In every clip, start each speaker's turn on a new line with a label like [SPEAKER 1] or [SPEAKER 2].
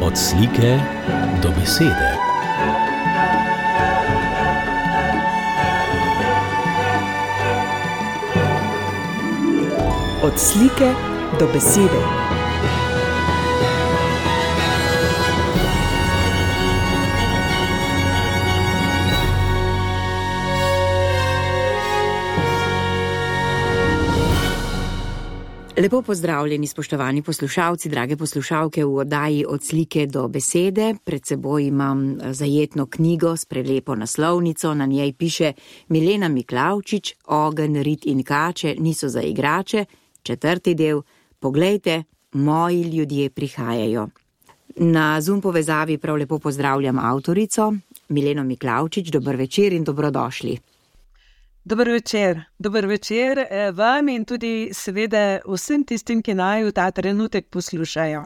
[SPEAKER 1] Od slike do besede.
[SPEAKER 2] Od slike do besede. Lepo pozdravljeni, spoštovani poslušalci, drage poslušalke v oddaji Od slike do besede. Pred seboj imam zajetno knjigo s prelepo naslovnico, na njej piše Milena Miklavčič, Ogenj, rit in kače niso za igrače, 4. del, poglejte, moji ljudje prihajajo. Na Zoom povezavi prav lepo pozdravljam avtorico, Mileno Miklavčič, dober večer in dobrodošli.
[SPEAKER 3] Dober večer vam in tudi seveda vsem tistim, ki naj v ta trenutek poslušajo.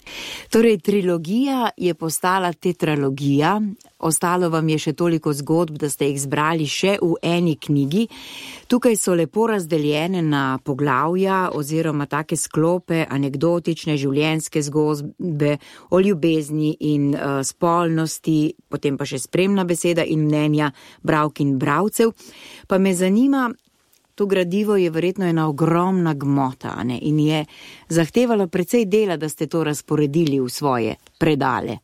[SPEAKER 2] Torej, trilogija je postala tetralogija, ostalo vam je še toliko zgodb, da ste jih zbrali še v eni knjigi. Tukaj so lepo razdeljene na poglavja oziroma take sklope, anekdotične življenjske zgodbe o ljubezni in spolnosti, potem pa še spremna beseda in mnenja bralk in bralcev. Pa me zanima, to gradivo je verjetno ena ogromna gmota, ne? In je zahtevalo precej dela, da ste to razporedili v svoje predale.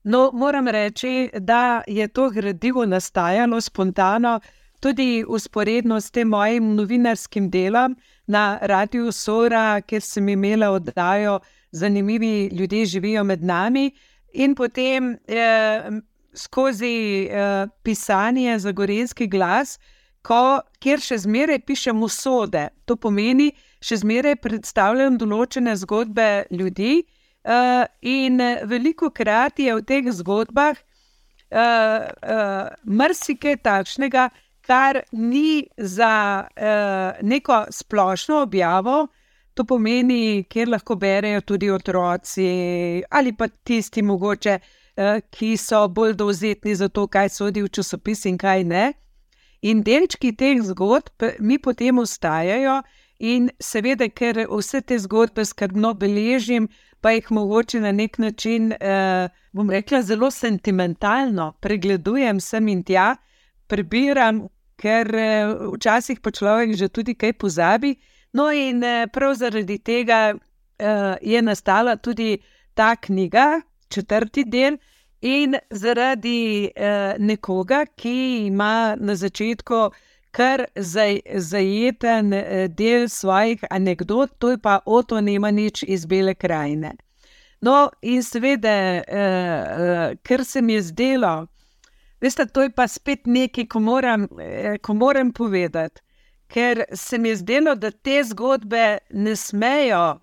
[SPEAKER 3] No, moram reči, da je to gradivo nastajalo spontano, tudi vzporedno s tem mojim novinarskim delom na Radiu Sora, kjer sem imela oddajo Zanimivi ljudje živijo med nami, in potem skozi pisanje za Gorenjski glas, kjer še zmeraj pišem usode. To pomeni, še zmeraj predstavljam določene zgodbe ljudi, in velikokrat je v teh zgodbah marsikaj takšnega, kar ni za neko splošno objavo, to pomeni, kjer lahko berejo tudi otroci ali pa tisti mogoče, ki so bolj dovzetni za to, kaj sodi v časopis in kaj ne. In delčki teh zgodb mi potem ostajajo in seveda, ker vse te zgodbe skrbno beležim, pa jih mogoče na nek način, bom rekla, zelo sentimentalno pregledujem sem in tja, prebiram, ker včasih pa človek že tudi kaj pozabi. No in prav zaradi tega je nastala tudi ta knjiga, 4. del, in zaradi nekoga, ki ima na začetku kar zajeten del svojih anekdot, to je pa Oto Nemanič iz Bele krajine. No, in seveda, ker se mi je zdelo, veste, to je pa spet nekaj, ko moram povedati, ker se mi je zdelo, da te zgodbe ne smejo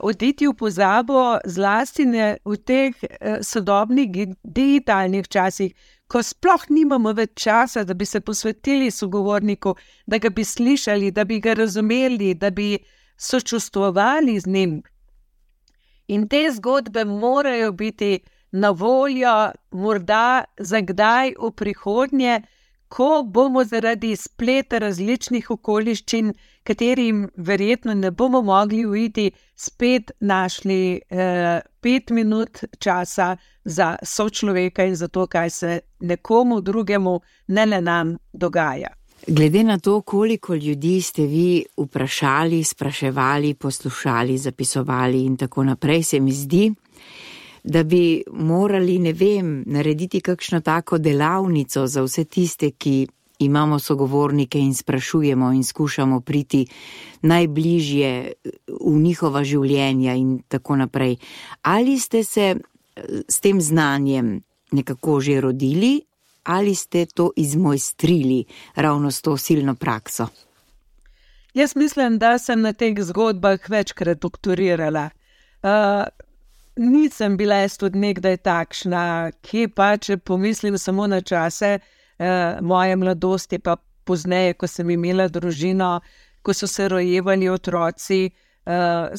[SPEAKER 3] oditi v pozabo, zlasti ne v teh sodobnih digitalnih časih, ko sploh nimamo več časa, da bi se posvetili sogovorniku, da ga bi slišali, da bi ga razumeli, da bi sočustvovali z njim. In te zgodbe morajo biti na voljo morda za kdaj v prihodnje, ko bomo zaradi spleta različnih okoliščin, katerim verjetno ne bomo mogli uiti, spet našli 5 minut časa za sočloveka in za to, kaj se nekomu drugemu, ne le nam, dogaja.
[SPEAKER 2] Glede na to, koliko ljudi ste vi vprašali, spraševali, poslušali, zapisovali in tako naprej, se mi zdi, da bi morali, ne vem, narediti kakšno tako delavnico za vse tiste, ki imamo sogovornike in sprašujemo in skušamo priti najbližje v njihova življenja in tako naprej. Ali ste se s tem znanjem nekako že rodili, ali ste to izmojstrili ravno s to silno prakso?
[SPEAKER 3] Jaz mislim, da sem na teh zgodbah večkrat doktorirala. Nisem bila jaz tudi nekdaj takšna, ki pa, če pomislim samo na čase moje mladosti, pa pozneje, ko sem imela družino, ko so se rojevali otroci,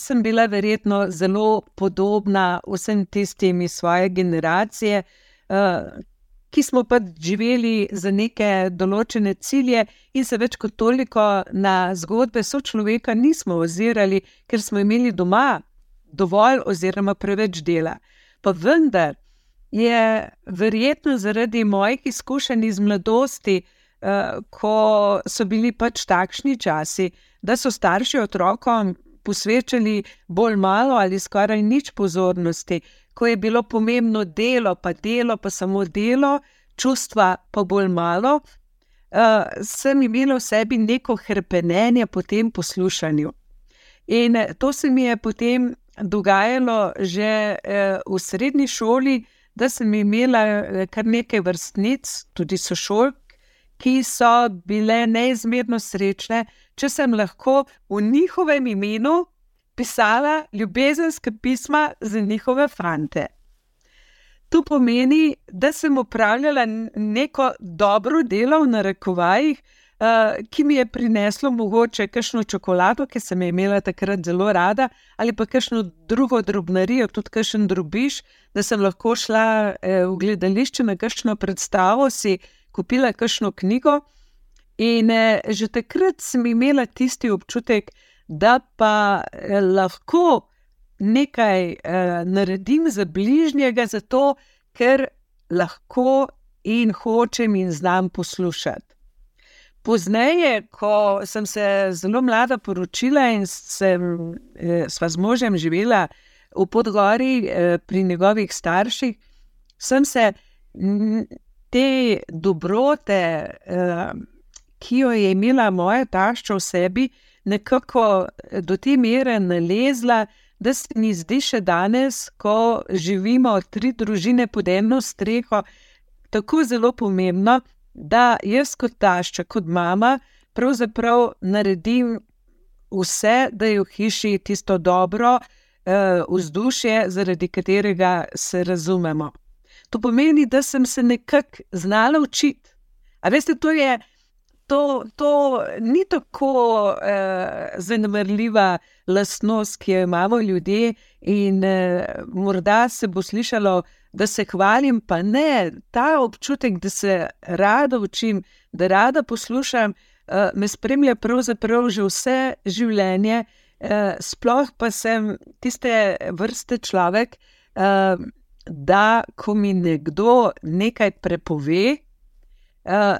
[SPEAKER 3] sem bila verjetno zelo podobna vsem tistim iz svoje generacije, ki smo pa živeli za neke določene cilje in se več kot toliko na zgodbe sočloveka nismo ozirali, ker smo imeli doma dovolj oziroma preveč dela. Pa vendar je verjetno zaradi mojih izkušenj iz mladosti, ko so bili pač takšni časi, da so starši otrokom posvečali bolj malo ali skoraj nič pozornosti, ko je bilo pomembno delo, pa samo delo, čustva pa bolj malo, sem imela v sebi neko hrepenenje po tem poslušanju. In to se mi je potem dogajalo že v srednji šoli, da sem imela kar nekaj vrstnic, tudi sošolk, ki so bile neizmerno srečne, če sem lahko v njihovem imenu pisala ljubezenska pisma za njihove fante. To pomeni, da sem opravljala neko dobro delo v narekovajih, ki mi je prineslo mogoče kakšno čokolado, ki sem imela takrat zelo rada, ali pa kakšno drugo drobnarijo, tudi kakšen drobiž, da sem lahko šla v gledališče na kakšno predstavo, si kupila kakšno knjigo in že takrat sem imela tisti občutek, da pa lahko nekaj naredim za bližnjega, zato ker lahko in hočem in znam poslušati. Pozneje, ko sem se zelo mlada poročila in sva z možem živela v Podgori pri njegovih starših, sem se te dobrote, ki jo je imela moja tašča v sebi, nekako do te mere nalezla, da se mi zdi še danes, ko živimo 3 družine pod eno streho, tako zelo pomembno, da jaz kot tašča, kot mama, pravzaprav naredim vse, da je v hiši tisto dobro vzdušje, zaradi katerega se razumemo. To pomeni, da sem se nekako znala učiti. A veste, to ni tako zanemarljiva lastnost, ki jo imamo ljudje in morda se bo slišalo, da se hvalim, pa ne, ta občutek, da se rada učim, da rada poslušam, me spremlja pravzaprav že vse življenje, sploh pa sem tiste vrste človek, da ko mi nekdo nekaj prepove,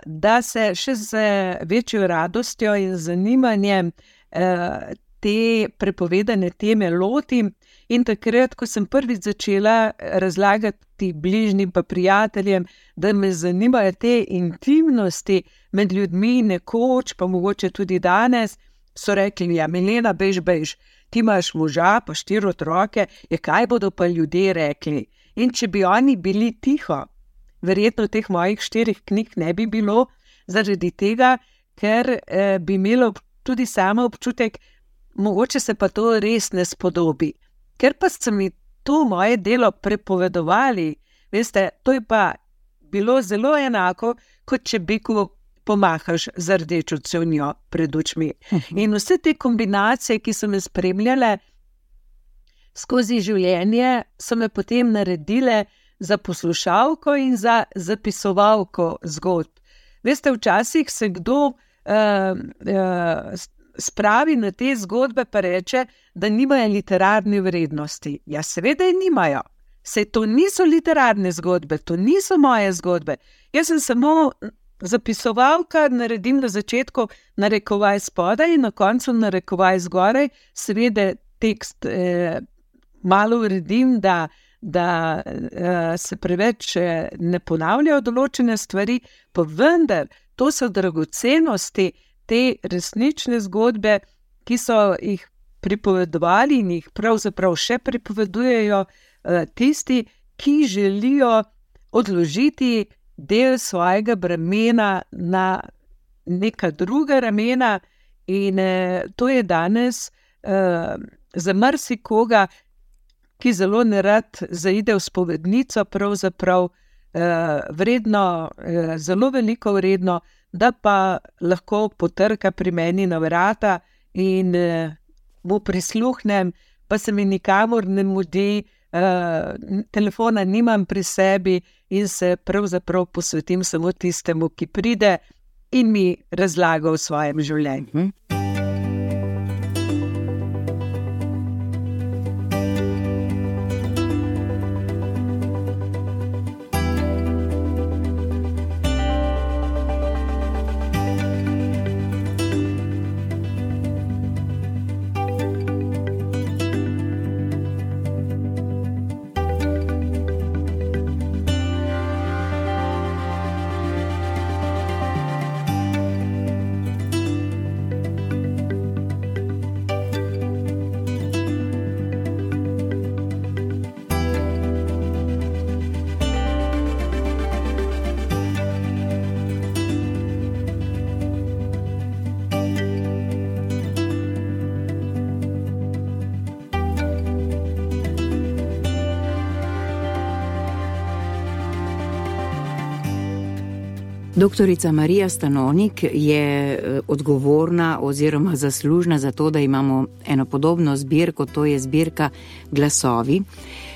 [SPEAKER 3] da se še z večjo radostjo in zanimanjem te prepovedane teme lotim. In takrat, ko sem prvič začela razlagati bližnjim pa prijateljem, da me zanimajo te intimnosti med ljudmi nekoč, pa mogoče tudi danes, so rekli, ja, Milena, bež, ti imaš moža pa 4 otroke, kaj bodo pa ljudje rekli? In če bi oni bili tiho, verjetno teh mojih 4 knjig ne bi bilo, zaradi tega, ker bi imela tudi sama občutek, mogoče se pa to res ne spodobi. Ker pa so mi to moje delo prepovedovali, veste, to je pa bilo zelo enako, kot če biku pomahaš z rdečo cevnjo pred očmi. In vse te kombinacije, ki so me spremljale skozi življenje, so me potem naredile za poslušalko in za zapisovalko zgodb. Veste, včasih se kdo spravi na te zgodbe pa reče, da nimajo literarne vrednosti. Ja, seveda je nimajo. Saj to niso literarne zgodbe, to niso moje zgodbe. Jaz sem samo zapisovalka, naredim na začetku narekovaj spodaj in na koncu narekovaj zgoraj. Seveda tekst malo uredim, da se preveč ne ponavljajo določene stvari, pa vendar to so dragocenosti, te resnične zgodbe, ki so jih pripovedovali in jih pravzaprav še pripovedujejo tisti, ki želijo odložiti del svojega bremena na neka druga ramena in to je danes za marsikoga, ki zelo nerad zaide v spovednico, pravzaprav vredno, zelo veliko vredno, da pa lahko potrka pri meni na vrata in mu prisluhnem, pa se mi nikamor ne mudi, telefona nimam pri sebi in se pravzaprav posvetim samo tistemu, ki pride in mi razlaga o svojem življenju.
[SPEAKER 2] Doktorica Marija Stanovnik je odgovorna oziroma zaslužna za to, da imamo eno podobno zbirko, to je zbirka Glasovi,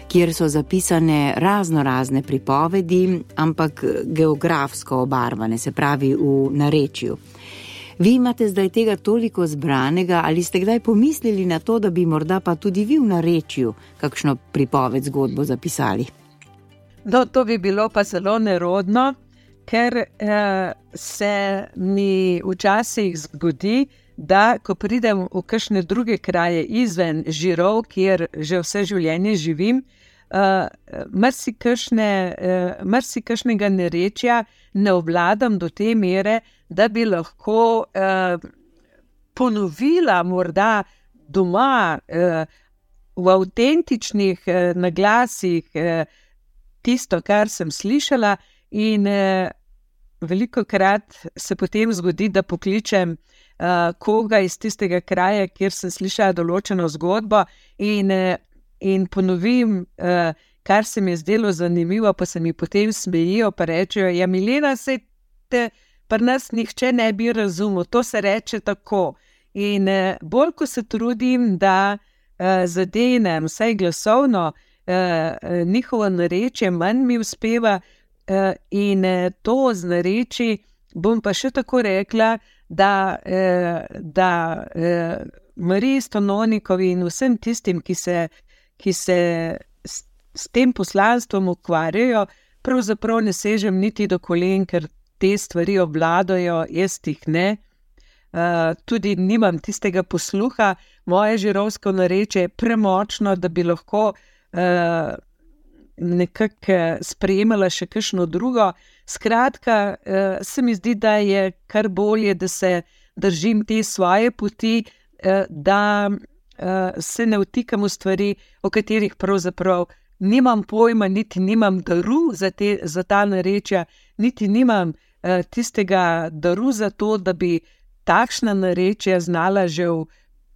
[SPEAKER 2] kjer so zapisane razne pripovedi, ampak geografsko obarvane, se pravi v narečju. Vi imate zdaj tega toliko zbranega, ali ste kdaj pomislili na to, da bi morda pa tudi vi v narečju kakšno pripoved, zgodbo zapisali?
[SPEAKER 3] No, to bi bilo pa zelo nerodno, ker se mi včasih zgodi, da ko pridem v kakšne druge kraje izven Žirov, kjer že vse življenje živim, marsikakšnega narečja ne obvladam do te mere, da bi lahko ponovila morda doma v avtentičnih naglasih tisto, kar sem slišala, in velikokrat se potem zgodi, da pokličem koga iz tistega kraja, kjer sem slišala določeno zgodbo in ponovim, kar se mi je zdelo zanimivo, pa se mi potem smejijo, pa rečejo, ja, Milena, saj te pri nas nihče ne bi razumel, to se reče tako. In bolj, ko se trudim, da zadenem vsaj glasovno njihovo narečje, manj mi uspeva, in to z nareči bom pa še tako rekla, da Mariji Stanovnikovi in vsem tistim, ki se s tem poslanstvom ukvarjajo, pravzaprav ne sežem niti do kolen, ker te stvari obvladajo, jaz jih ne. Tudi nimam tistega posluha, moje žirovsko narečje je premočno, da bi lahko nekako sprejemala še kakšno drugo. Skratka, se mi zdi, da je kar bolje, da se držim te svoje poti, da se ne vtikam v stvari, o katerih pravzaprav nimam pojma, niti nimam daru za ta narečja, niti nimam tistega daru za to, da bi takšna narečja znala že v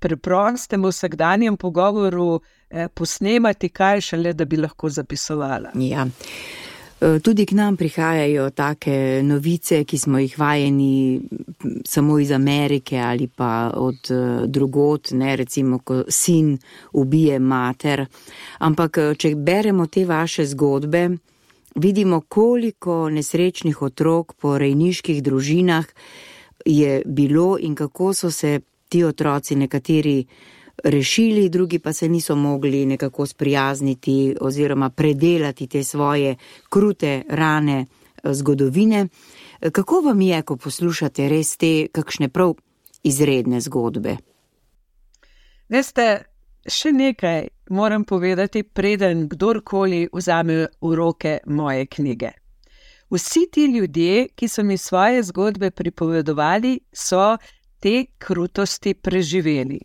[SPEAKER 3] preprostem vsakdanjem pogovoru posnemati, kaj šele, da bi lahko zapisovala.
[SPEAKER 2] Ja. Tudi k nam prihajajo take novice, ki smo jih vajeni samo iz Amerike ali pa od drugod, ne, recimo, ko sin ubije mater. Ampak, če beremo te vaše zgodbe, vidimo, koliko nesrečnih otrok po rejniških družinah je bilo in kako so se ti otroci nekateri rešili, drugi pa se niso mogli nekako sprijazniti oziroma predelati te svoje krute rane zgodovine. Kako vam je, ko poslušate res te kakšne prav izredne zgodbe?
[SPEAKER 3] Veste, še nekaj moram povedati, preden kdorkoli vzame v roke moje knjige. Vsi ti ljudje, ki so mi svoje zgodbe pripovedovali, so te krutosti preživeli.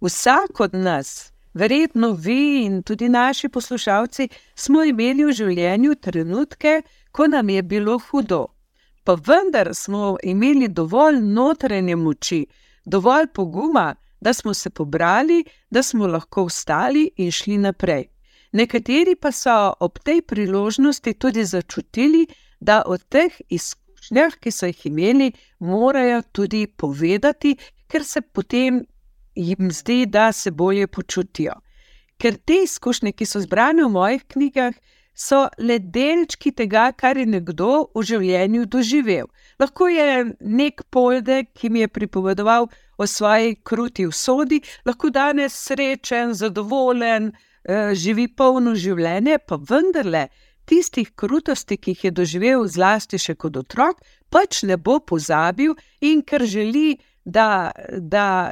[SPEAKER 3] Vsak od nas, verjetno vi in tudi naši poslušalci, smo imeli v življenju trenutke, ko nam je bilo hudo. Pa vendar smo imeli dovolj notranje moči, dovolj poguma, da smo se pobrali, da smo lahko vstali in šli naprej. Nekateri pa so ob tej priložnosti tudi začutili, da od teh izkušnjah, ki so jih imeli, morajo tudi povedati, ker se potem jim zdi, da se bolje počutijo. Ker te izkušnje, ki so zbrane v mojih knjigah, so le delčki tega, kar je nekdo v življenju doživel. Lahko je nek Poldek, ki mi je pripovedoval o svoji kruti usodi, lahko danes srečen, zadovoljen, živi polno življenje, pa vendarle tistih krutosti, ki jih je doživel zlasti še kot otrok, pač ne bo pozabil, in ker želi, da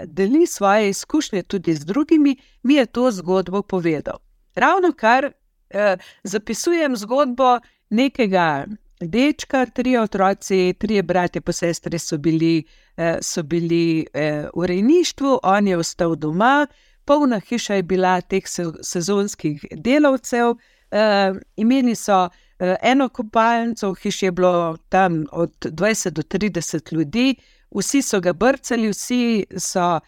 [SPEAKER 3] deli svoje izkušnje tudi z drugimi, mi je to zgodbo povedal. Ravnokar zapisujem zgodbo nekega dečka, 3 otroci, 3 bratje pa sestre so bili v rejništvu, on je ostal doma, polna hiša je bila teh sezonskih delavcev, imeli so eno kopalnico, v hiši je bilo tam od 20 do 30 ljudi, vsi so ga brcali, vsi so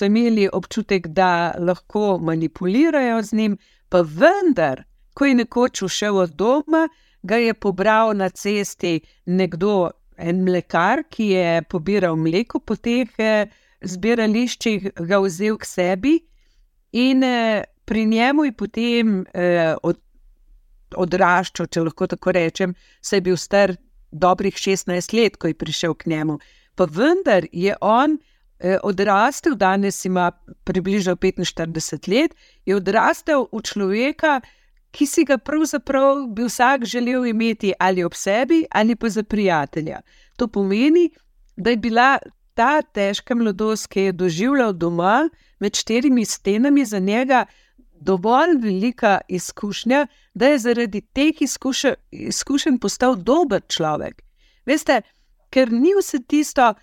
[SPEAKER 3] imeli občutek, da lahko manipulirajo z njim, pa vendar, ko je nekoč ušel od doma, ga je pobral na cesti nekdo, en mlekar, ki je pobiral mleko po teh zbirališčih, ga vzel k sebi in pri njemu je potem odraščal, če lahko tako rečem, saj je bil star dobrih 16 let, ko je prišel k njemu. Pa vendar je on odrastel, danes ima približno 45 let, je odrastel v človeka, ki si ga pravzaprav bi vsak želel imeti ali ob sebi ali pa za prijatelja. To pomeni, da je bila ta težka mladost, ki je doživljal doma med 4 stenami, za njega dovolj velika izkušnja, da je zaradi teh izkušenj postal dober človek. Veste, ker ni vse tisto,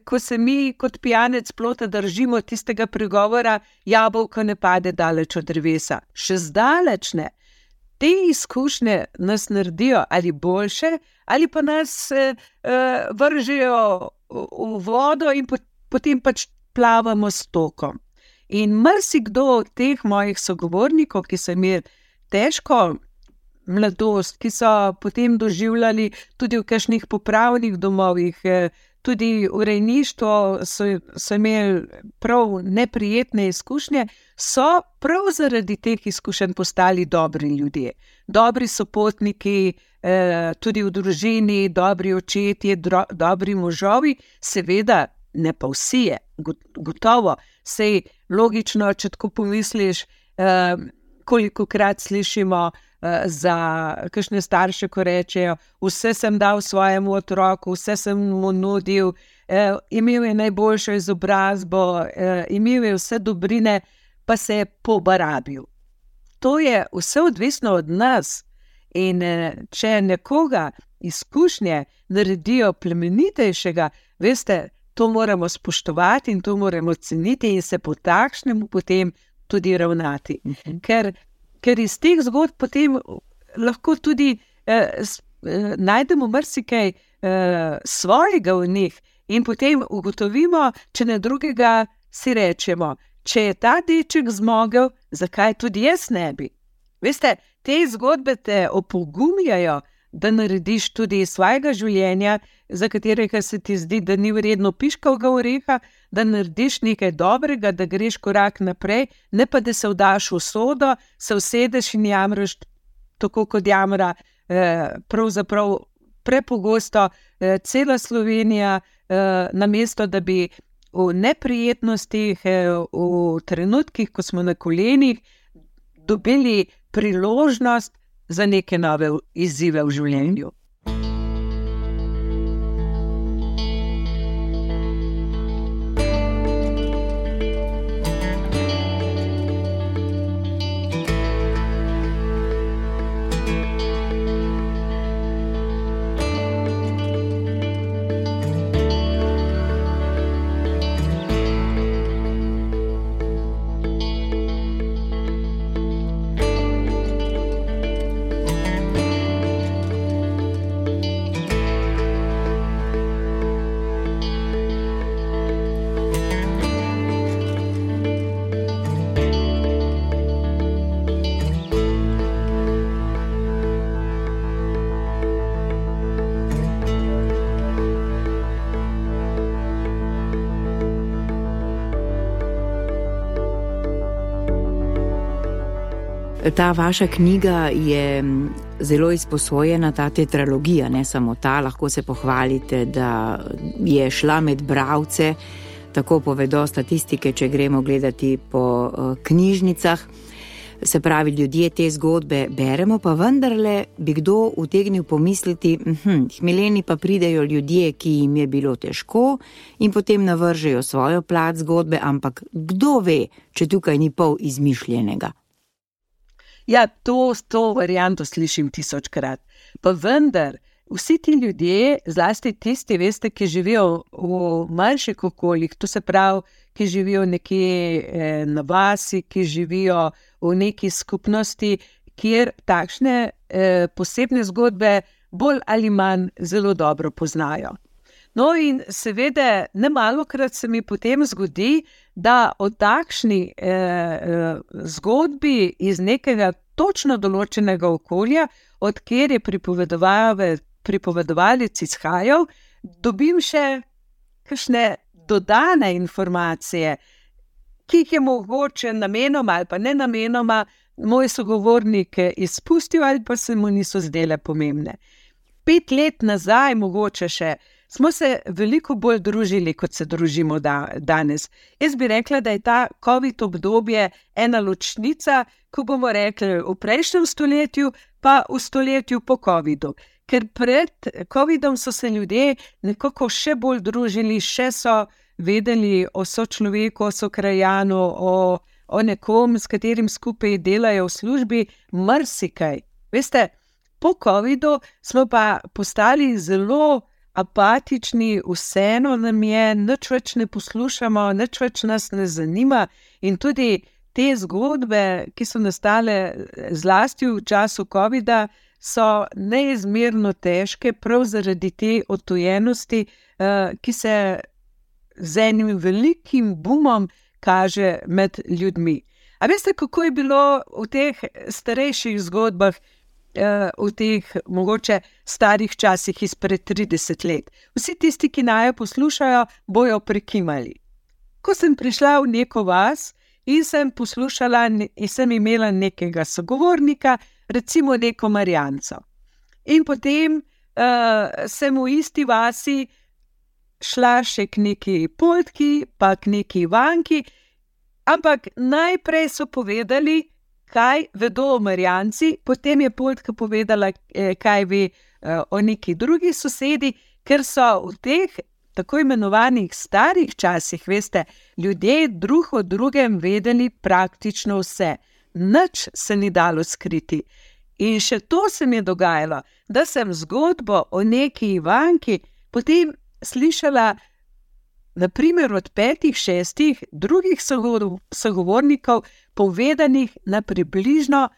[SPEAKER 3] ko se mi kot pijanec plota držimo tistega pregovora, jabolko ne pade daleč od drevesa. Še zdaleč ne. Te izkušnje nas naredijo ali boljše, ali pa nas vržejo v vodo in potem pač plavamo s tokom. In marsikdo od teh mojih sogovornikov, ki so imeli težko mladost, ki so potem doživljali tudi v kakšnih popravnih domovih, tudi v rejništvu so imeli prav neprijetne izkušnje, so prav zaradi teh izkušenj postali dobri ljudje. Dobri sopotniki, tudi v družini, dobri očetje, dobri možovi, seveda ne pa vsi je, gotovo. Sej logično, če tako pomisliš, kolikokrat slišimo za kakšne starše, ko rečejo, vse sem dal svojemu otroku, vse sem mu nudil, imel je najboljšo izobrazbo, imel je vse dobrine, pa se je pobarabil. To je vse odvisno od nas in če nekoga izkušnje naredijo plemenitejšega, veste, to moramo spoštovati in to moramo ceniti in se po takšnemu potem tudi ravnati. Ker iz teh zgodb potem lahko tudi najdemo marsikaj svojega v njih in potem ugotovimo, če ne drugega si rečemo, če je ta deček zmogel, zakaj tudi jaz ne bi? Veste, te zgodbe te opogumljajo, da narediš tudi svojega življenja, za katerega se ti zdi, da ni vredno piškavega oreha, da narediš nekaj dobrega, da greš korak naprej, ne pa da se vdaš v sodo, se usedeš in jamraš tako, kot jamra pravzaprav prepogosto cela Slovenija, namesto da bi v neprijetnostih, v trenutkih, ko smo na kolenih, dobili priložnost za neke nove izzive v življenju.
[SPEAKER 2] Ta vaša knjiga je zelo izposojena, ta tetralogija, ne samo ta, lahko se pohvalite, da je šla med bralce, tako povedo statistike, če gremo gledati po knjižnicah. Se pravi, ljudje te zgodbe beremo, pa vendarle bi kdo utegnil pomisliti, hmeleni pa pridejo ljudje, ki jim je bilo težko in potem navržejo svojo plat zgodbe, ampak kdo ve, če tukaj ni pol izmišljenega?
[SPEAKER 3] Ja, to varianto slišim 1000krat. Pa vendar, vsi ti ljudje, zlasti tisti, veste, ki živijo v manjših okoljih, to se pravi, ki živijo nekje na vasi, ki živijo v neki skupnosti, kjer takšne posebne zgodbe bolj ali manj zelo dobro poznajo. No in seveda, nemalokrat se mi potem zgodi, da o takšni zgodbi iz nekega točno določenega okolja, od kjer je pripovedovalec izhajal, dobim še kakšne dodane informacije, ki jih je mogoče namenoma ali pa ne namenoma moj sogovornik izpustil ali pa se mu niso zdele pomembne. 5 let nazaj mogoče še smo se veliko bolj družili, kot se družimo danes. Jaz bi rekla, da je ta COVID obdobje ena ločnica, ko bomo rekli v prejšnjem stoletju, pa v stoletju po COVIDu. Ker pred COVIDom so se ljudje nekako še bolj družili, še so vedeli o sočloveku, o sokrajanu, o nekom, s katerim skupaj delajo v službi, marsikaj. Veste, po COVIDu smo pa postali zelo apatični, vseeno nam je, nič več ne poslušamo, nič več nas ne zanima in tudi te zgodbe, ki so nastale zlasti v času COVIDa, so neizmerno težke, prav zaradi te odtujenosti, ki se z enim velikim bumom kaže med ljudmi. A veste, kako je bilo v teh starejših zgodbah, v teh mogoče starih časih izpred 30 let? Vsi tisti, ki naju poslušajo, bojo prikimali. Ko sem prišla v neko vas in sem poslušala in sem imela nekega sogovornika, recimo neko Marjanco. In potem sem v isti vasi šla še k neki Poldki, pa k neki Ivanki, ampak najprej so povedali, kaj vedo o Marjanci, potem je Poldka povedala, kaj ve o neki drugi sosedi, ker so v teh tako imenovanih starih časih, veste, ljudje drug o drugem vedeli praktično vse. Nič se ni dalo skriti. In še to se mi je dogajalo, da sem zgodbo o neki Ivanki potem slišala naprimer od 5-6 drugih sogovornikov, povedanih na približno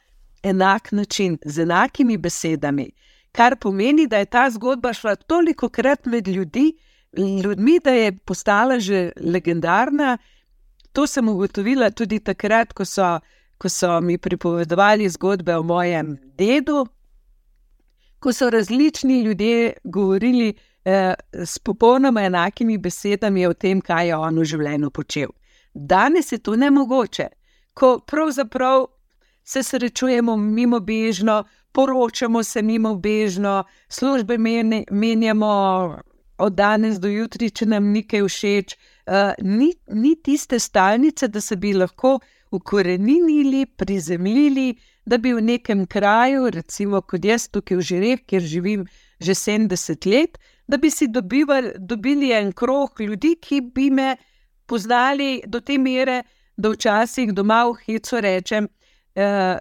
[SPEAKER 3] enak način, z enakimi besedami, kar pomeni, da je ta zgodba šla tolikokrat med ljudmi, da je postala že legendarna. To sem ugotovila tudi takrat, ko so mi pripovedovali zgodbe o mojem dedu, ko so različni ljudje govorili s popolnoma enakimi besedami o tem, kaj je on v življenju počel. Danes je to nemogoče, ko pravzaprav se srečujemo mimobežno, poročamo se mimobežno, službe menjamo od danes do jutri, če nam nekaj všeč. Ni tiste stalnice, da se bi lahko ukoreninili, prizemljili, da bi v nekem kraju, recimo kot jaz tukaj v Žireh, kjer živim že 70 let, da bi si dobili en krog ljudi, ki bi me poznali do te mere, da včasih doma v hecu rečem,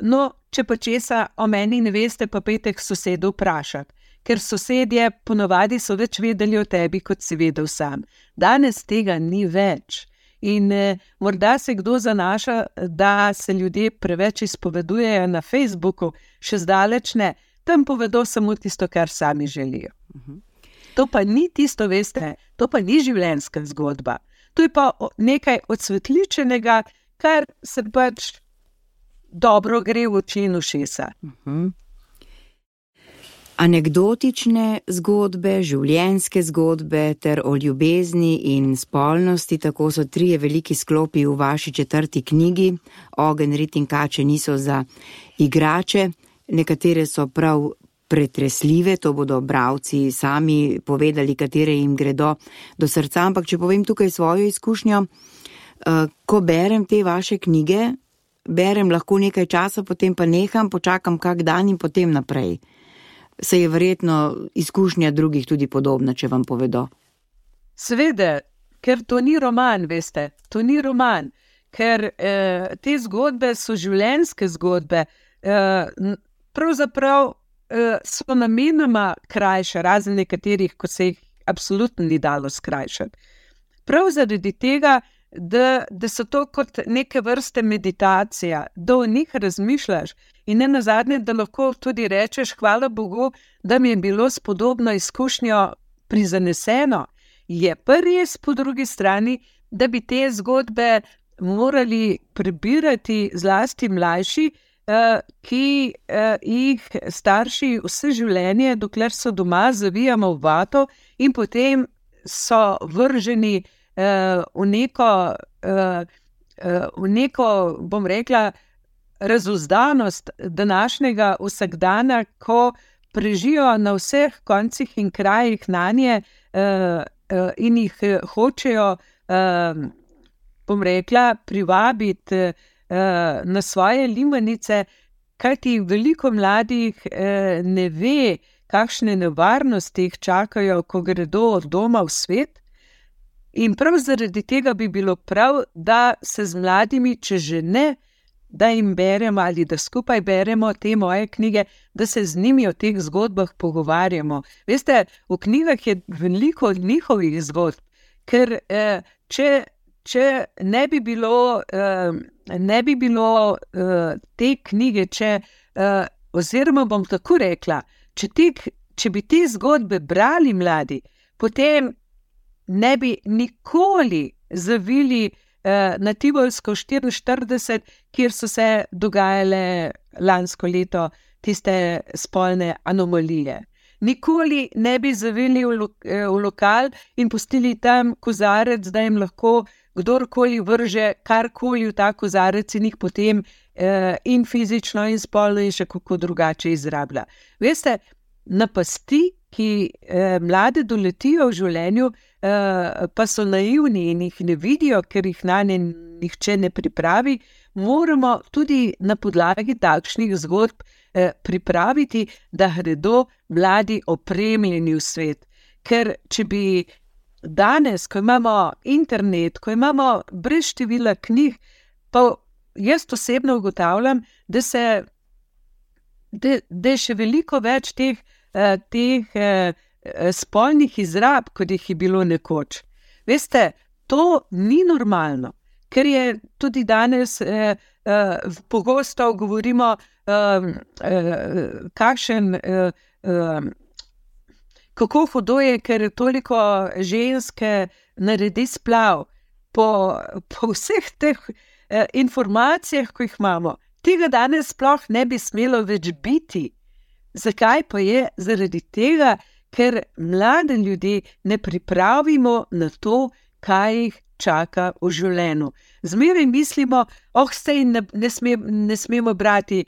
[SPEAKER 3] no, če pa česa o meni ne veste, pa pejte k sosedu vprašati, ker sosedje ponavadi so več vedeli o tebi, kot si vedel sam. Danes tega ni več. In morda se kdo zanaša, da se ljudje preveč izpovedujejo na Facebooku, še zdaleč ne, tam povedo samo tisto, kar sami želijo. To pa ni tisto, veste, to pa ni življenjska zgodba. To je pa nekaj odsvetličenega, kar se pač dobro gre v oči in ušesa.
[SPEAKER 2] Anekdotične zgodbe, življenjske zgodbe ter o ljubezni in spolnosti, tako so 3 veliki sklopi v vaši 4. knjigi. Ogenj, rit in kače niso za igrače, nekatere so prav pretresljive, to bodo bralci sami povedali, katere jim gredo do srca, ampak če povem tukaj svojo izkušnjo, ko berem te vaše knjige, berem lahko nekaj časa, potem pa neham, počakam kak dan in potem naprej. Se je verjetno izkušnja drugih tudi podobna, če vam povedo.
[SPEAKER 3] Seveda, ker to ni roman, veste, to ni roman, ker te zgodbe so življenjske zgodbe, pravzaprav so namenoma krajše, razen nekaterih, ko se jih absolutno ni dalo skrajšati. Prav zaradi tega, da so to kot neke vrste meditacija, da o njih razmišljaš in ne nazadnje, da lahko tudi rečeš, hvala Bogu, da mi je bilo s podobno izkušnjo prizaneseno. Je pa res po drugi strani, da bi te zgodbe morali prebirati zlasti mlajši, ki jih starši vse življenje, dokler so doma, zavijamo v vato in potem so vrženi v neko, bom rekla, razuzdanost današnjega vsakdana, ko prežijo na vseh koncih in krajih nanje in jih hočejo, bom rekla, privabiti na svoje limanice, kajti veliko mladih ne ve, kakšne nevarnosti jih čakajo, ko gredo od doma v svet. In prav zaradi tega bi bilo prav, da se z mladimi, če že ne, da jim beremo ali da skupaj beremo te moje knjige, da se z njimi o teh zgodbah pogovarjamo. Veste, v knjigah je veliko njihovih zgodb, ker če ne bi bilo te knjige, oziroma bom tako rekla, če bi te zgodbe brali mladi, potem ne bi nikoli zavili na Tivolsko 44, kjer so se dogajale lansko leto tiste spolne anomalije. Nikoli ne bi zavili v lokal in pustili tam kozarec, da jim lahko kdorkoli vrže karkoli v ta kozarec in jih potem in fizično in spolno in še kako drugače izrablja. Veste, napasti, ki mlade doletijo v življenju, pa so naivni in jih ne vidijo, ker jih nanje nihče ne pripravi, moramo tudi na podlagi takšnih zgodb pripraviti, da gredo mladi opremljeni v svet. Ker če bi danes, ko imamo internet, ko imamo brez števila knjig, pa jaz osebno ugotavljam, da je še veliko več teh spolnih izrab, kot jih je bilo nekoč. Veste, to ni normalno, ker je tudi danes pogosto govorimo, kako hudo je, ker toliko ženske naredi splav. Po vseh teh informacijah, ko jih imamo, tega danes sploh ne bi smelo več biti. Zakaj pa je? Zaradi tega, ker mlade ljudi ne pripravimo na to, kaj jih čaka v življenju. Zmeraj mislimo, saj ne smemo brati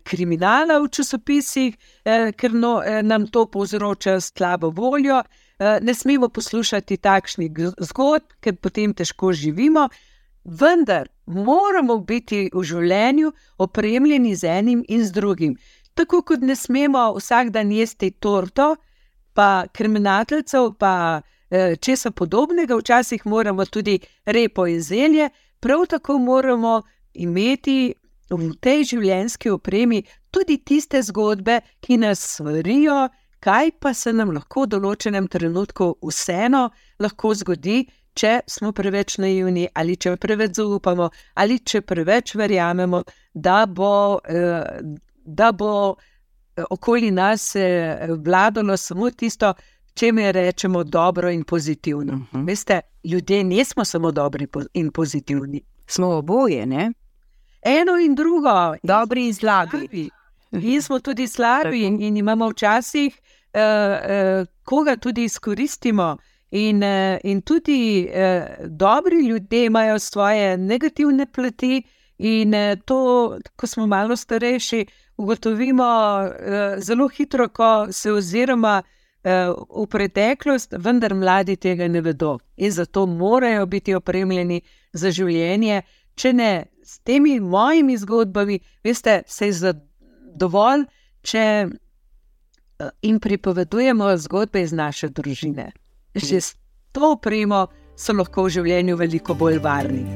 [SPEAKER 3] kriminala v časopisih, ker nam to povzroča slabo voljo, ne smemo poslušati takšnih zgodb, ker potem težko živimo, vendar moramo biti v življenju opremljeni z enim in z drugim. Tako kot ne smemo vsak dan jesti torto, pa krmenateljcev, pa česa podobnega, včasih moramo tudi repo in zelje, prav tako moramo imeti v tej življenjski opremi tudi tiste zgodbe, ki nas svarijo, kaj pa se nam lahko v določenem trenutku vseeno lahko zgodi, če smo preveč naivni ali če preveč zaupamo ali če preveč verjamemo, da bo okoli nas vladalo samo tisto, čemer rečemo dobro in pozitivno. Veste, ljudje nismo samo dobri in pozitivni.
[SPEAKER 2] Smo oboje, ne?
[SPEAKER 3] Eno in drugo.
[SPEAKER 2] Dobri in slabi.
[SPEAKER 3] Mi smo tudi slabi in imamo včasih, koga tudi izkoristimo. In tudi dobri ljudje imajo svoje negativne plati in to, ko smo malo starejši, ugotovimo zelo hitro, ko se oziroma v preteklost, vendar mladi tega ne vedo. In zato morajo biti opremljeni za življenje, če ne s temi mojimi zgodbami, veste, se je dovolj, če jim pripovedujemo zgodbe iz naše družine. Že s to opremo so lahko v življenju veliko bolj varni.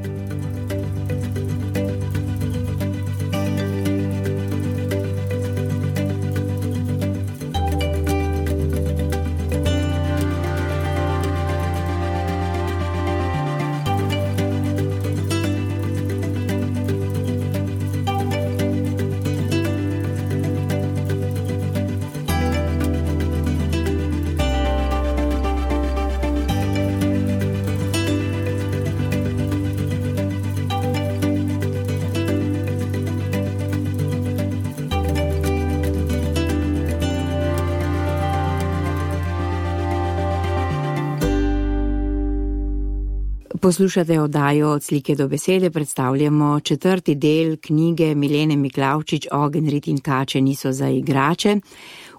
[SPEAKER 2] Poslušate oddajo Od slike do besede, predstavljamo 4. del knjige Milene Miklavčič Ogenj, rit in kače niso za igrače.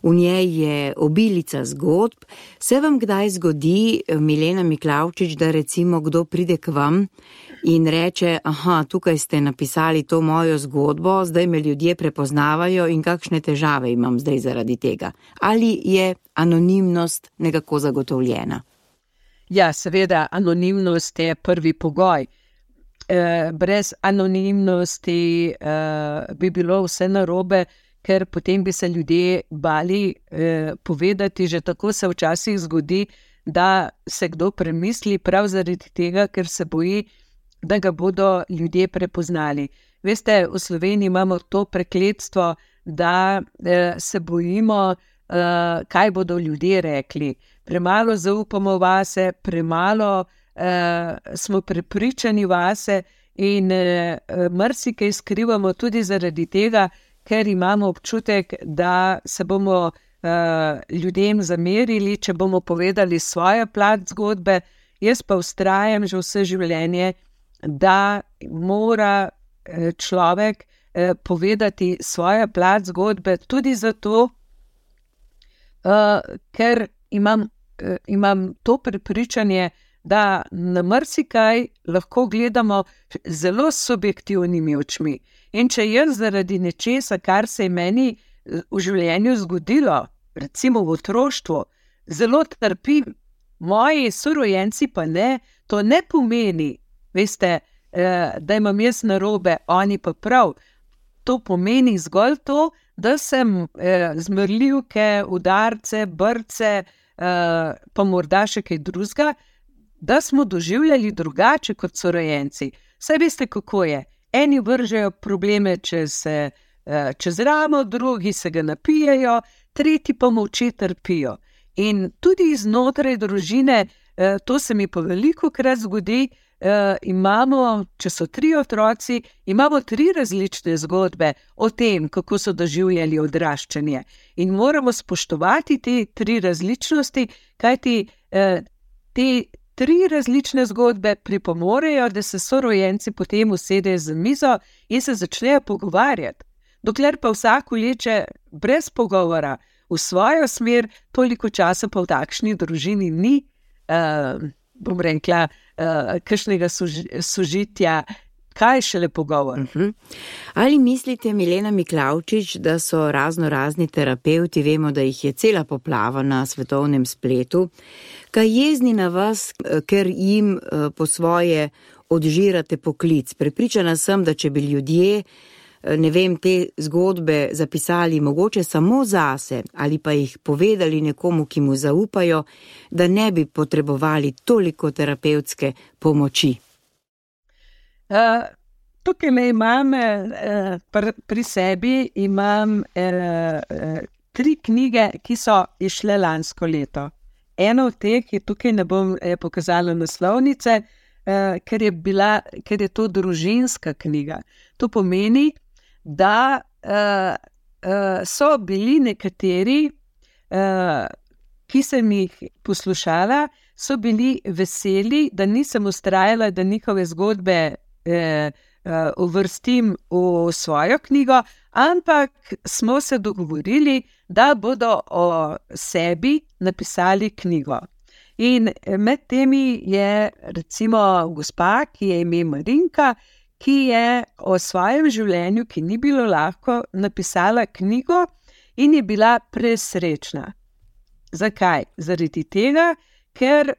[SPEAKER 2] V njej je obilica zgodb. Se vam kdaj zgodi, Milena Miklavčič, da recimo kdo pride k vam in reče, aha, tukaj ste napisali to mojo zgodbo, zdaj me ljudje prepoznavajo in kakšne težave imam zdaj zaradi tega? Ali je anonimnost nekako zagotovljena?
[SPEAKER 3] Ja, seveda, anonimnost je prvi pogoj. Brez anonimnosti bi bilo vse narobe, ker potem bi se ljudje bali povedati. Že tako se včasih zgodi, da se kdo premisli prav zaradi tega, ker se boji, da ga bodo ljudje prepoznali. Veste, v Sloveniji imamo to prekletstvo, da se bojimo, kaj bodo ljudje rekli. Premalo zaupamo vase, premalo smo prepričani vase in marsikaj skrivamo tudi zaradi tega, ker imamo občutek, da se bomo ljudem zamerili, če bomo povedali svojo plat zgodbe. Jaz pa vztrajam že vse življenje, da mora človek povedati svojo plat zgodbe tudi zato, ker imam to prepričanje, da na marsikaj lahko gledamo zelo subjektivnimi očmi. In če jaz zaradi nečesa, kar se je meni v življenju zgodilo, recimo v otroštvu, zelo trpim, moji sorojenci pa ne, to ne pomeni, veste, da imam jaz narobe, oni pa prav. To pomeni zgolj to, da sem zmrljivke, udarce, brce, pa morda še kaj drugega, da smo doživljali drugače kot sorojenci. Saj veste, kako je. Eni vržejo probleme čez ramo, drugi se ga napijejo, tretji pa molče trpijo. In tudi znotraj družine, to se mi pa velikokrat zgodi, imamo, če so 3 otroci, imamo 3 različne zgodbe o tem, kako so doživljali odraščanje. In moramo spoštovati te 3 različnosti, kajti te 3 različne zgodbe pripomorejo, da se sorojenci potem usedejo za mizo in se začnejo pogovarjati. Dokler pa vsak vleče brez pogovora v svojo smer, toliko časa pa v takšni družini ni, bom rekla, kakšnega sožitja, kaj šele pogovor.
[SPEAKER 2] Ali mislite, Milena Miklavčič, da so razni terapevti, vemo, da jih je cela poplava na svetovnem spletu, kaj jezni na vas, ker jim po svoje odžirate poklic? Prepričana sem, da če bi ljudje, ne vem, te zgodbe zapisali mogoče samo zase ali pa jih povedali nekomu, ki mu zaupajo, da ne bi potrebovali toliko terapevtske pomoči.
[SPEAKER 3] Tukaj me imam, pri sebi imam 3 knjige, ki so izšle lansko leto. Ena od teh je tukaj, ne bom pokazala naslovnice, ker je to družinska knjiga. To pomeni, da so bili nekateri, ki sem jih poslušala, so bili veseli, da nisem vztrajala, da njihove zgodbe uvrstim v svojo knjigo, ampak smo se dogovorili, da bodo o sebi napisali knjigo. In med temi je recimo gospa, ki je ime Marinka, ki je o svojem življenju, ki ni bilo lahko, napisala knjigo in je bila presrečna. Zakaj? Zaradi tega, ker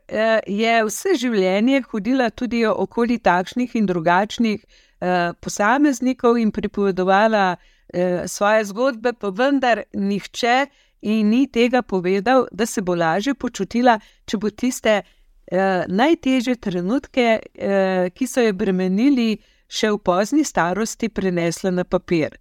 [SPEAKER 3] je vse življenje hodila tudi okoli takšnih in drugačnih posameznikov in pripovedovala svoje zgodbe, pa vendar nihče in ni tega povedal, da se bo lažje počutila, če bo tiste najtežje trenutke, ki so jo bremenili, še v pozni starosti prenesla na papir.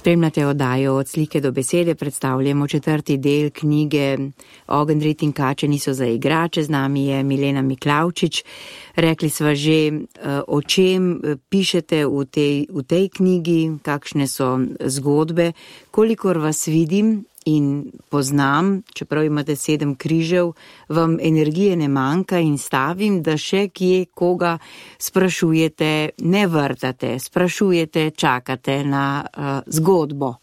[SPEAKER 2] Spremljate oddajo Od slike do besede, predstavljamo 4. del knjige Ogenj, rit in kače niso za igrače. Z nami je Milena Miklavčič. Rekli sva že, o čem pišete v tej knjigi, kakšne so zgodbe. Kolikor vas vidim in poznam, čeprav imate 7 križev, vam energije ne manjka in stavim, da še kje koga sprašujete, ne vrtate, sprašujete, čakate na zgodbo.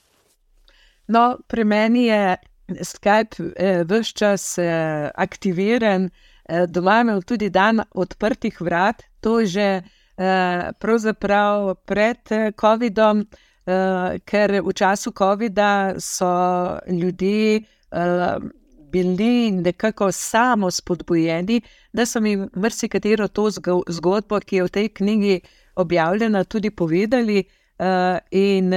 [SPEAKER 3] No, pri meni je Skype ves čas aktiviran, doma imam tudi dan odprtih vrat, to že pravzaprav pred COVID-om, ker v času COVID-a so ljudje bili nekako samo spodbujeni, da so mi marsikatero to zgodbo, ki je v tej knjigi objavljena, tudi povedali, in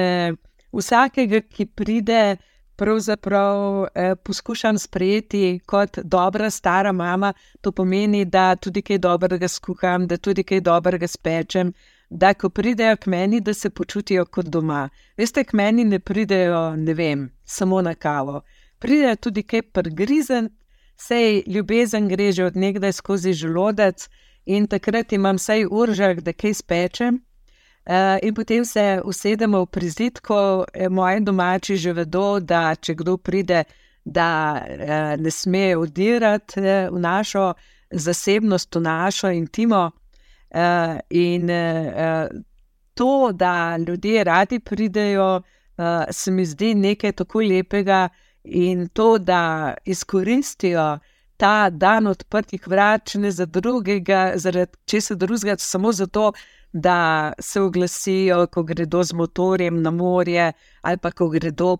[SPEAKER 3] vsakega, ki pride, pravzaprav poskušam sprejeti kot dobra stara mama. To pomeni, da tudi kaj dobrega skuham, da tudi kaj dobrega spečem, da ko pridejo k meni, da se počutijo kot doma. Veste, k meni ne pridejo, ne vem, samo na kavo. Pridejo tudi kaj prigrizen, sej ljubezen gre že od nekdaj skozi želodec in takrat imam sej uržek, da kaj spečem. In potem se usedemo v prizidku. Moji domači že vedo, da če kdo pride, da ne sme odirati v našo zasebnost, v našo intimo. In to, da ljudje radi pridejo, se mi zdi nekaj tako lepega, in to, da izkoristijo ta dan odprtih vrat, če ne za drugega, zaradi česa drugega, samo zato, da se oglasijo, ko gredo z motorjem na morje, ali pa ko gredo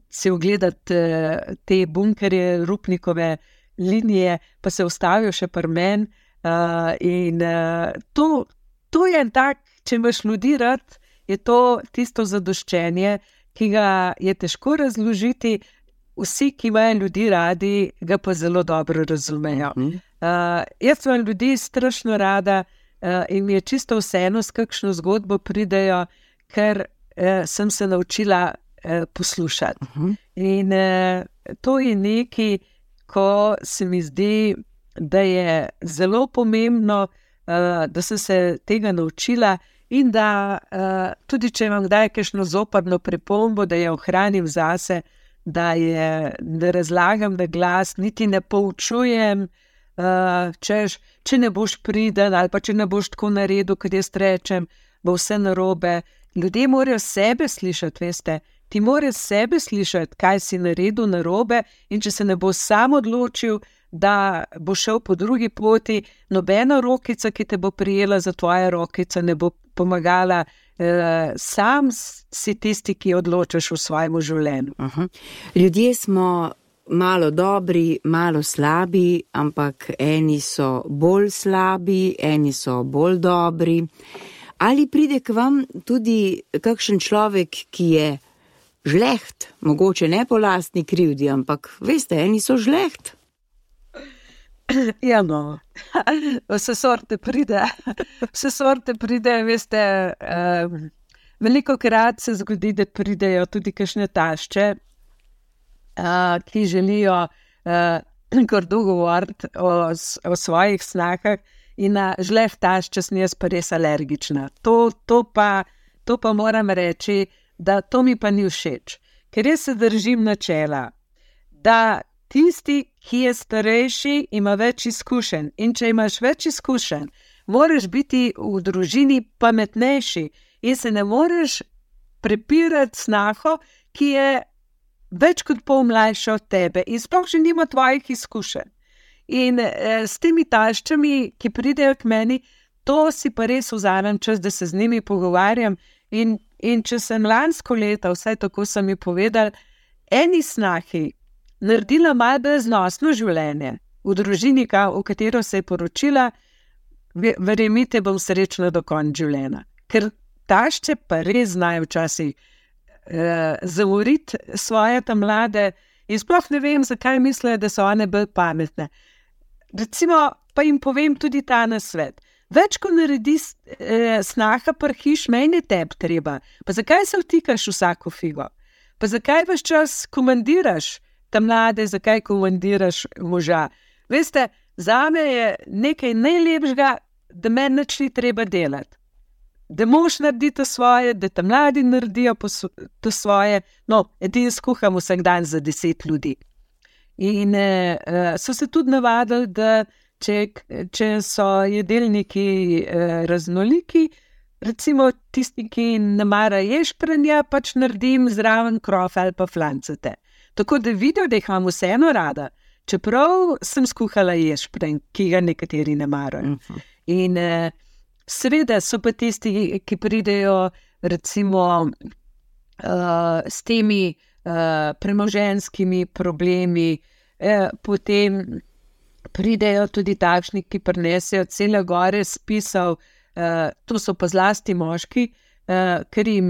[SPEAKER 3] si ogledati te bunkerje, Rupnikove linije, pa se ustavijo še pri meni. In to je tak, če imaš ljudi rad, je to tisto zadoščenje, ki ga je težko razložiti. Vsi, ki imajo ljudi radi, ga pa zelo dobro razumejo. Jaz imam ljudi strašno rada in mi je čisto vseeno, s kakšno zgodbo pridejo, ker sem se naučila poslušati. In to je nekaj, ko se mi zdi, da je zelo pomembno, da sem se tega naučila in da tudi, če imam kdaj kakšno zoprno pripombo, da jo ohranim zase, da ne razlagam na glas, niti ne poučujem, če ne boš priden ali pa če ne boš tako naredil, kot jaz rečem, bo vse narobe. Ljudje morajo sebe slišati, veste. Ti moraš sebe slišati, kaj si naredil narobe, in če se ne bo sam odločil, da bo šel po drugi poti, nobena rokica, ki te bo prijela za tvoje rokice, ne bo pomagala. Sam si tisti, ki odločaš v svojem življenju.
[SPEAKER 2] Ljudje smo malo dobri, malo slabi, ampak eni so bolj slabi, eni so bolj dobri. Ali pride k vam tudi kakšen človek, ki je žleht, mogoče ne po lastni krivdi, ampak veste, eni so žleht?
[SPEAKER 3] Ja, no, vse sorte pride, veste, velikokrat se zgodi, da pridejo tudi kakšne tašče, ki želijo grdo govoriti o svojih snahah, in na žleh tašče sem jaz pa res alergična. To pa moram reči, da to mi pa ni všeč, ker jaz se držim načela, da tisti, ki je starejši, ima več izkušenj, in če imaš več izkušenj, moraš biti v družini pametnejši in se ne moreš prepirati snaho, ki je več kot pol mlajša od tebe in sploh že nima tvojih izkušenj. In s temi taščami, ki pridejo k meni, to si pa res vzamem čas, da se z njimi pogovarjam. In če sem lansko leto, vsaj tako so mi povedali, eni snahi naredila malo breznosno življenje v družini, v katero se je poročila, verjemite, bom srečna do konca življenja. Ker tašče pa res znajo včasih zamoriti svoje ta mlade in sploh ne vem, zakaj mislijo, da so one bolj pametne. Recimo, pa jim povem tudi ta nasvet. Več, ko naredi snaha prhiš, meni teb treba. Pa zakaj se vtikaš vsako figo? Pa zakaj vaš čas komandiraš ta mlade, zakaj komandiraš moža? Veste, zame je nekaj najlepšega, da meni nič ni treba delati. Da mož naredi to svoje, da ta mladi naredijo to svoje. No, edin skuham vsak dan za 10 ljudi. In so se tudi navadili, da če so jedelniki raznoliki, recimo tisti, ki ne mara ješprenja, pač naredim zraven krofe ali pa flancete. Tako da vidijo, da jih imam vseeno rada, čeprav sem skuhala ješprenj, ki ga nekateri ne marajo. In seveda so pa tisti, ki pridejo recimo s temi premoženjskimi problemi, potem pridejo tudi takšni, ki prinesejo cele gore spisov, to so pa zlasti moški, ker jim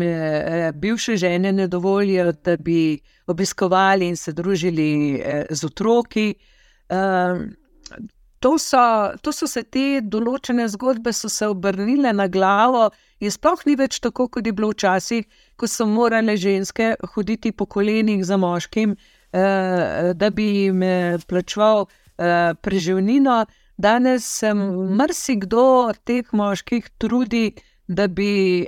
[SPEAKER 3] bivše žene ne dovolijo, da bi obiskovali in se družili z otroki. To so se te določene zgodbe so se obrnile na glavo in sploh ni več tako, kot je bilo včasih, ko so morale ženske hoditi po kolenih za moškim, da bi jim plačeval preživnino. Danes se marsikdo od teh moških trudi, da bi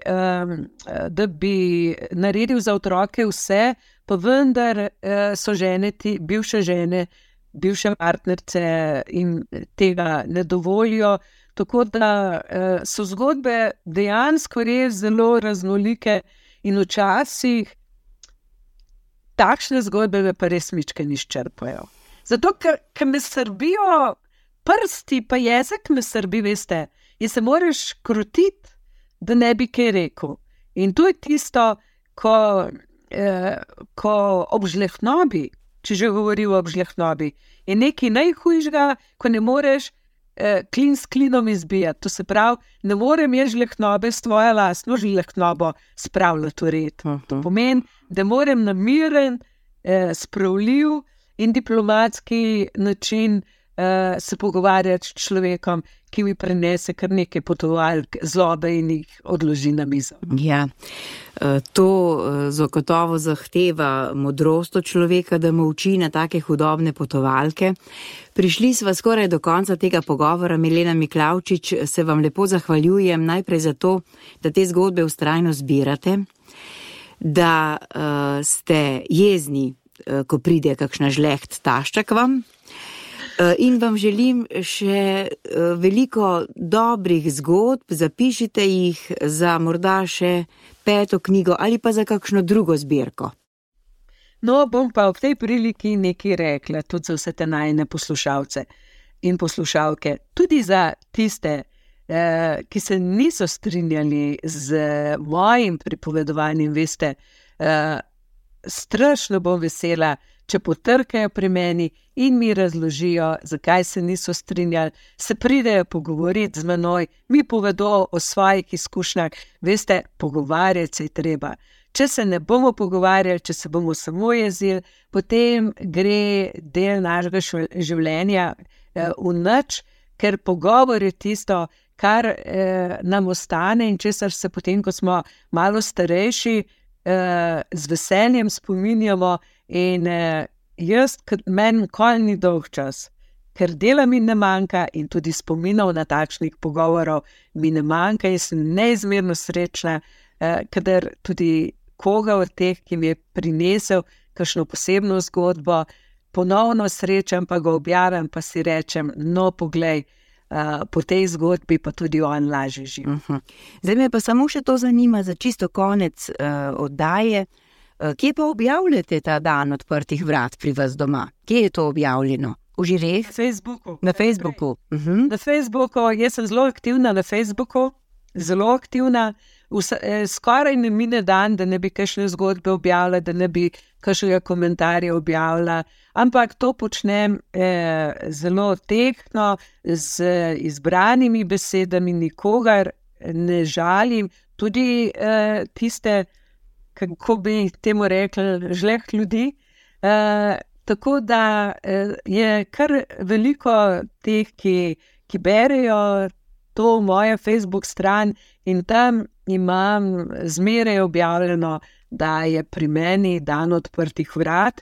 [SPEAKER 3] naredil za otroke vse, pa vendar so žene, bivše žene, bivše partnerce in tega ne dovolijo, tako da so zgodbe dejansko res zelo raznolike in včasih takšne zgodbe me pa res mičkeno izčrpajo. Zato, ker me srbijo prsti, pa jezik me srbi, veste, in se moraš krotiti, da ne bi kaj rekel. In to je tisto, ko ob žlehtnobi, če že govoril o žlehtnobi, je nekaj najhujšega, ko ne moreš klin s klinom izbijati. To se pravi, ne morem jaz žlehtnobe s tvojo lastno žlehtnobo spravljati v red. To pomeni, da moram na miren, spravljiv in diplomatski način se pogovarjati s človekom, ki mi prenese kar nekaj potovalk zlobe in jih odloži na mizo.
[SPEAKER 2] Ja, to zagotovo zahteva modrost od človeka, da mu uči na take hudobne potovalke. Prišli sva skoraj do konca tega pogovora. Milena Miklavčič, se vam lepo zahvaljujem najprej za to, da te zgodbe vztrajno zbirate, da ste jezni, ko pride kakšna žleht tašča k vam. In vam želim še veliko dobrih zgodb, zapišite jih za morda še 5. knjigo ali pa za kakšno drugo zbirko.
[SPEAKER 3] No, bom pa v tej priliki nekaj rekla, tudi za vse te najine poslušalce in poslušalke, tudi za tiste, ki se niso strinjali z mojim pripovedovanjem, veste, strašno bom vesela, če potrkajo pri meni in mi razložijo, zakaj se niso strinjali, se pridejo pogovoriti z menoj, mi povedo o svojih izkušnjah. Veste, pogovarjati se je treba. Če se ne bomo pogovarjali, če se bomo samo jezili, potem gre del našega življenja v nič, ker pogovor je tisto, kar nam ostane in česar se potem, ko smo malo starejši, z veseljem spominjamo. In meni nikoli ni dolg čas, ker dela mi ne manjka in tudi spominov na takšnih pogovorov mi ne manjka in sem neizmerno srečna, kadar tudi koga od teh, ki mi je prinesel kakšno posebno zgodbo, ponovno srečam, pa ga objavim, pa si rečem, no poglej, po tej zgodbi pa tudi on lažje živi.
[SPEAKER 2] Zdaj me pa samo še to zanima za čisto konec oddaje. Kje pa objavljate ta dan odprtih vrat pri vas doma? Kje je to objavljeno? V žireh?
[SPEAKER 3] Na Facebooku.
[SPEAKER 2] Na Facebooku.
[SPEAKER 3] Na Facebooku, jaz sem zelo aktivna na Facebooku, zelo aktivna. Skoraj ne mine dan, da ne bi kakšne zgodbe objavila, da ne bi kakšnega komentarja objavila, ampak to počnem zelo tehtno, z izbranimi besedami, nikogar ne žalim, tudi tiste, kako bi temu rekli, žleht ljudi. Tako da je kar veliko teh, ki berejo to mojo Facebook stran in tam imam zmeraj objavljeno, da je pri meni dan odprtih vrat,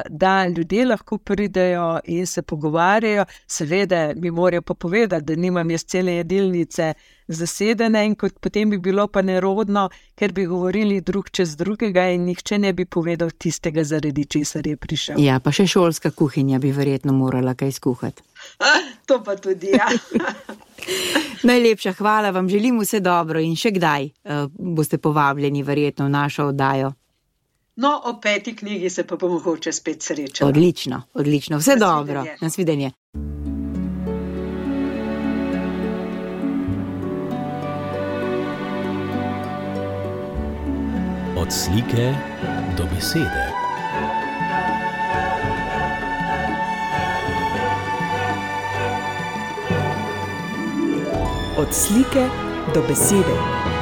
[SPEAKER 3] da ljudje lahko pridejo in se pogovarjajo. Seveda mi morajo pa povedati, da nimam jaz cele jedilnice zasedene in potem bi bilo pa nerodno, ker bi govorili drug čez drugega in nihče ne bi povedal tistega, zaradi česar je prišel.
[SPEAKER 2] Ja, pa še šolska kuhinja bi verjetno morala kaj skuhati.
[SPEAKER 3] To pa tudi, ja.
[SPEAKER 2] Najlepša hvala, vam želim vse dobro in še kdaj boste povabljeni verjetno v našo oddajo.
[SPEAKER 3] No, o 5. knjigi se pa bomo mogoče spet srečali.
[SPEAKER 2] Odlično, odlično. Vse dobro. Nasvidenje.
[SPEAKER 1] Od slike do besede.
[SPEAKER 4] Od slike do besede.